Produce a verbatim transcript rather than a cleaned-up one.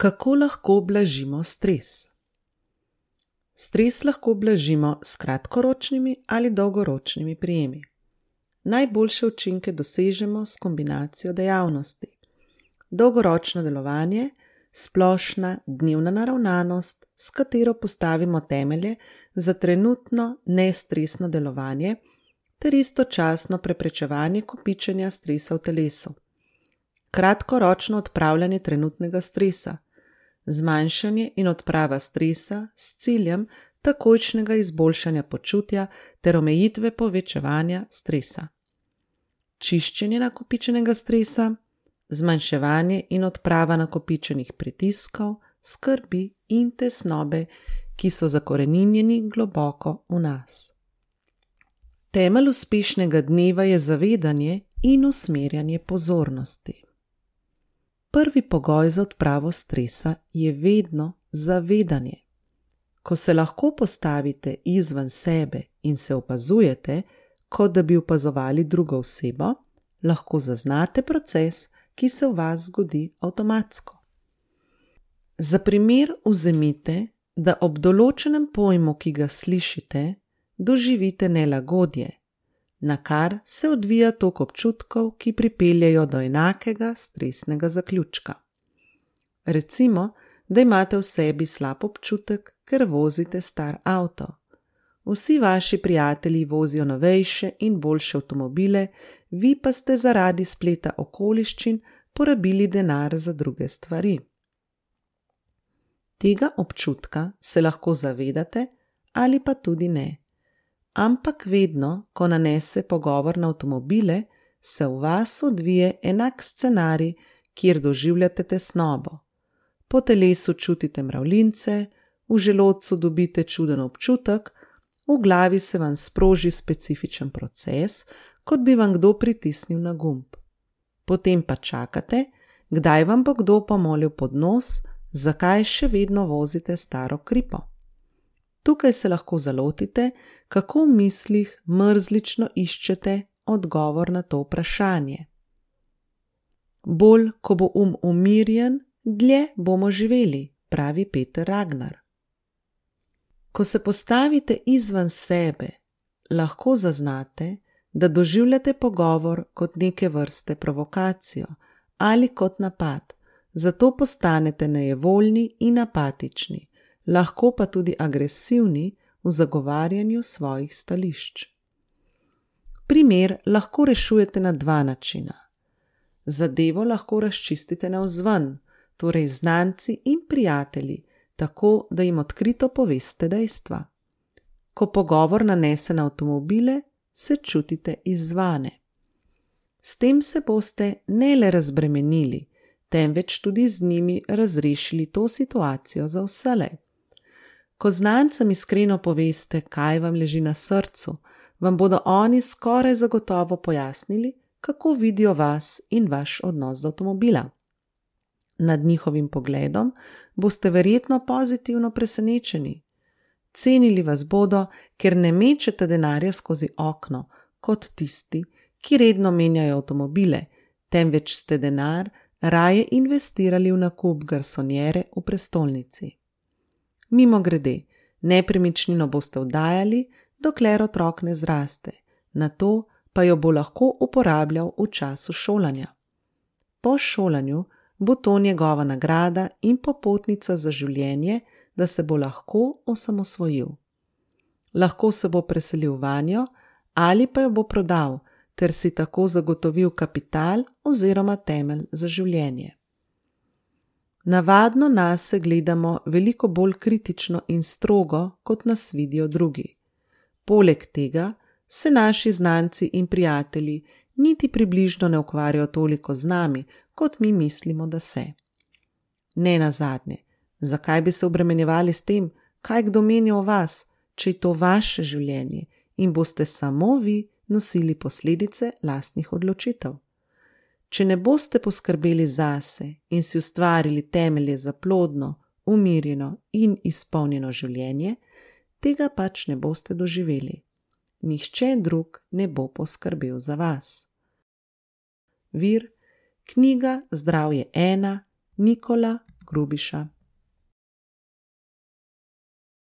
Kako lahko blažimo stres? Stres lahko blažimo s kratkoročnimi ali dolgoročnimi prijemi. Najboljše učinke dosežemo s kombinacijo dejavnosti. Dolgoročno delovanje, splošna dnevna naravnanost, s katero postavimo temelje za trenutno nestresno delovanje ter istočasno preprečevanje kopičenja stresa v telesu. Kratkoročno odpravljanje trenutnega stresa, zmanjšanje in odprava stresa s ciljem takojšnjega izboljšanja počutja ter omejitve povečevanja stresa. Čiščenje nakopičenega stresa, zmanjševanje in odprava nakopičenih pritiskov, skrbi in tesnobe, ki so zakoreninjeni globoko v nas. Temelj uspešnega dneva je zavedanje in usmerjanje pozornosti. Prvi pogoj za odpravo stresa je vedno zavedanje. Ko se lahko postavite izven sebe in se opazujete, kot da bi opazovali drugo osebo, lahko zaznate proces, ki se v vas zgodi avtomatsko. Za primer vzemite, da ob določenem pojmu, ki ga slišite, doživite nelagodje, na kar se odvija tok občutkov, ki pripeljejo do enakega stresnega zaključka. Recimo, da imate v sebi slab občutek, ker vozite star avto. Vsi vaši prijatelji vozijo novejše in boljše avtomobile, vi pa ste zaradi spleta okoliščin porabili denar za druge stvari. Tega občutka se lahko zavedate ali pa tudi ne. Ampak vedno, ko nanese pogovor na avtomobile, se v vas odvije enak scenarij, kjer doživljate tesnobo. Po telesu čutite mravljince, v želodcu dobite čuden občutek, v glavi se vam sproži specifičen proces, kot bi vam kdo pritisnil na gumb. Potem pa čakate, kdaj vam bo kdo pomolil pod nos, zakaj še vedno vozite staro kripo. Tukaj se lahko zalotite, kako v mislih mrzlično iščete odgovor na to vprašanje. Bolj, ko bo um umirjen, dlje bomo živeli, pravi Peter Ragnar. Ko se postavite izven sebe, lahko zaznate, da doživljate pogovor kot neke vrste provokacijo ali kot napad, zato postanete nejevoljni in apatični, lahko pa tudi agresivni v zagovarjanju svojih stališč. Primer lahko rešujete na dva načina. Zadevo lahko razčistite navzven, torej znanci in prijatelji, tako da jim odkrito poveste dejstva. Ko pogovor nanese na avtomobile, se čutite izzvane. S tem se boste ne le razbremenili, temveč tudi z njimi razrešili to situacijo za vselej. Ko znancem iskreno poveste, kaj vam leži na srcu, vam bodo oni skoraj zagotovo pojasnili, kako vidijo vas in vaš odnos do avtomobila. Nad njihovim pogledom boste verjetno pozitivno presenečeni. Cenili vas bodo, ker ne mečete denarja skozi okno, kot tisti, ki redno menjajo avtomobile, temveč ste denar raje investirali v nakup garsonjere v prestolnici. Mimogrede, nepremičnino boste oddajali, dokler otrok ne zraste, nato pa jo bo lahko uporabljal v času šolanja. Po šolanju bo to njegova nagrada in popotnica za življenje, da se bo lahko osamosvojil. Lahko se bo preselil vanjo ali pa jo bo prodal, ter si tako zagotovil kapital oziroma temelj za življenje. Navadno nase gledamo veliko bolj kritično in strogo, kot nas vidijo drugi. Poleg tega se naši znanci in prijatelji niti približno ne ukvarjajo toliko z nami, kot mi mislimo, da se. Ne nazadnje, zakaj bi se obremenjevali s tem, kaj kdo meni o vas, če je to vaše življenje in boste samo vi nosili posledice lastnih odločitev? Če ne boste poskrbeli zase in si ustvarili temelje za plodno, umirjeno in izpolnjeno življenje, tega pač ne boste doživeli. Nihče drug ne bo poskrbel za vas. Vir: knjiga Zdravje ena, Nikola Grubiša.